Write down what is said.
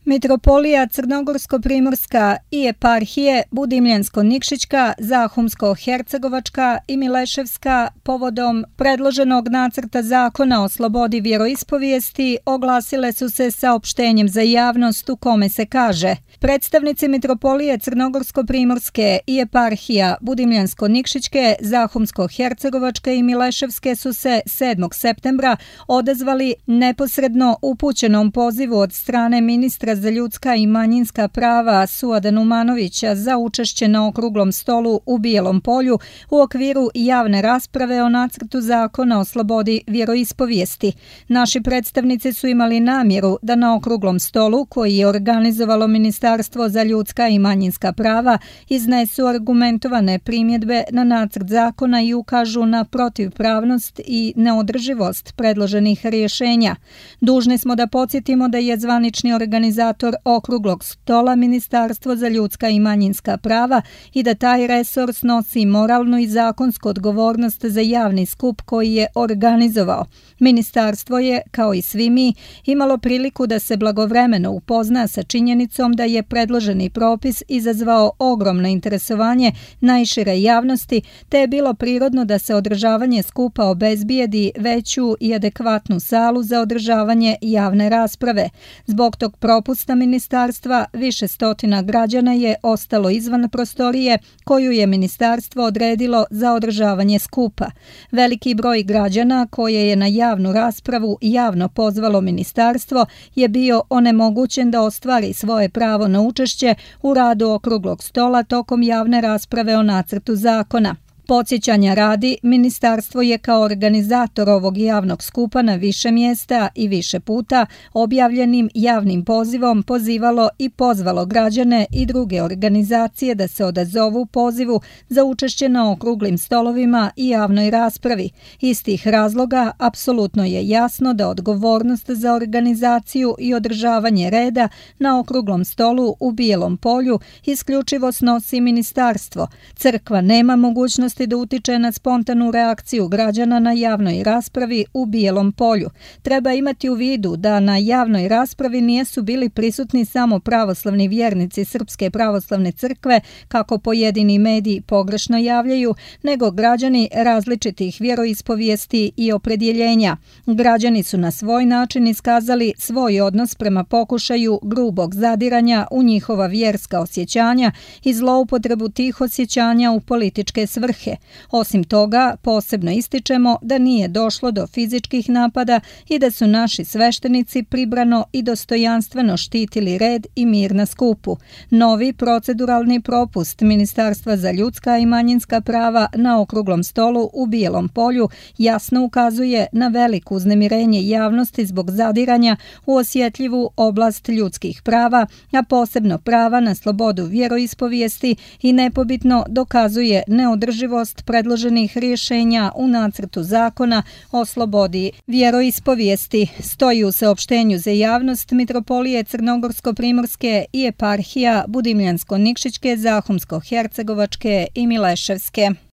Mitropolija Crnogorsko-primorska i eparhije Budimljansko-Nikšićka, Zahumsko-hercegovačka i Mileševska povodom predloženog nacrta zakona o slobodi vjeroispovijesti oglasile su se saopštenjem za javnost u kome se kaže: predstavnici Mitropolije Crnogorsko-primorske i eparhija Budimljansko-Nikšićke, Zahumsko-hercegovačke i Mileševske su se 7. septembra odazvali neposredno upućenom pozivu od strane ministra za ljudska i manjinska prava Suada Numanovića za učešće na okruglom stolu u Bijelom polju u okviru javne rasprave o nacrtu zakona o slobodi vjeroispovijesti. Naši predstavnici su imali namjeru da na okruglom stolu, koji je organizovalo Ministarstvo za ljudska i manjinska prava, iznesu argumentovane primjedbe na nacrt zakona i ukažu na protivpravnost i neodrživost predloženih rješenja. Dužni smo da podsjetimo da je zvanični organizator okruglog stola Ministarstvo za ljudska i manjinska prava i da taj resor snosi moralnu i zakonsku odgovornost za javni skup koji je organizovao. Ministarstvo je, kao i svi mi, imalo priliku da se blagovremeno upozna sa činjenicom da je predloženi propis izazvao ogromno interesovanje najšire javnosti, te je bilo prirodno da se održavanje skupa obezbijedi veću i adekvatnu salu za održavanje javne rasprave. Zbog tog propusta ministarstva više stotina građana je ostalo izvan prostorije koju je ministarstvo odredilo za održavanje skupa. Veliki broj građana koje je na javnu raspravu javno pozvalo ministarstvo je bio onemogućen da ostvari svoje pravo na učešće u radu okruglog stola tokom javne rasprave o nacrtu zakona. Podsjećanja radi, ministarstvo je kao organizator ovog javnog skupa na više mjesta i više puta objavljenim javnim pozivom pozivalo i pozvalo građane i druge organizacije da se odazovu pozivu za učešće na okruglim stolovima i javnoj raspravi. Iz tih razloga apsolutno je jasno da odgovornost za organizaciju i održavanje reda na okruglom stolu u Bijelom polju isključivo snosi ministarstvo. Crkva nema mogućnost da utiče na spontanu reakciju građana na javnoj raspravi u Bijelom polju. Treba imati u vidu da na javnoj raspravi nisu bili prisutni samo pravoslavni vjernici Srpske pravoslavne crkve, kako pojedini mediji pogrešno javljaju, nego građani različitih vjeroispovijesti i opredjeljenja. Građani su na svoj način iskazali svoj odnos prema pokušaju grubog zadiranja u njihova vjerska osjećanja i zloupotrebu tih osjećanja u političke svrhe. Osim toga, posebno ističemo da nije došlo do fizičkih napada i da su naši sveštenici pribrano i dostojanstveno štitili red i mir na skupu. Novi proceduralni propust Ministarstva za ljudska i manjinska prava na okruglom stolu u Bijelom polju jasno ukazuje na veliko uznemirenje javnosti zbog zadiranja u osjetljivu oblast ljudskih prava, a posebno prava na slobodu vjeroispovijesti i nepobitno dokazuje neodrživost predloženih rješenja u nacrtu zakona o slobodi vjeroispovijesti, stoji u saopštenju za javnost Mitropolije Crnogorsko-primorske i eparhija Budimljansko-Nikšićke, Zahumsko-hercegovačke i Mileševske.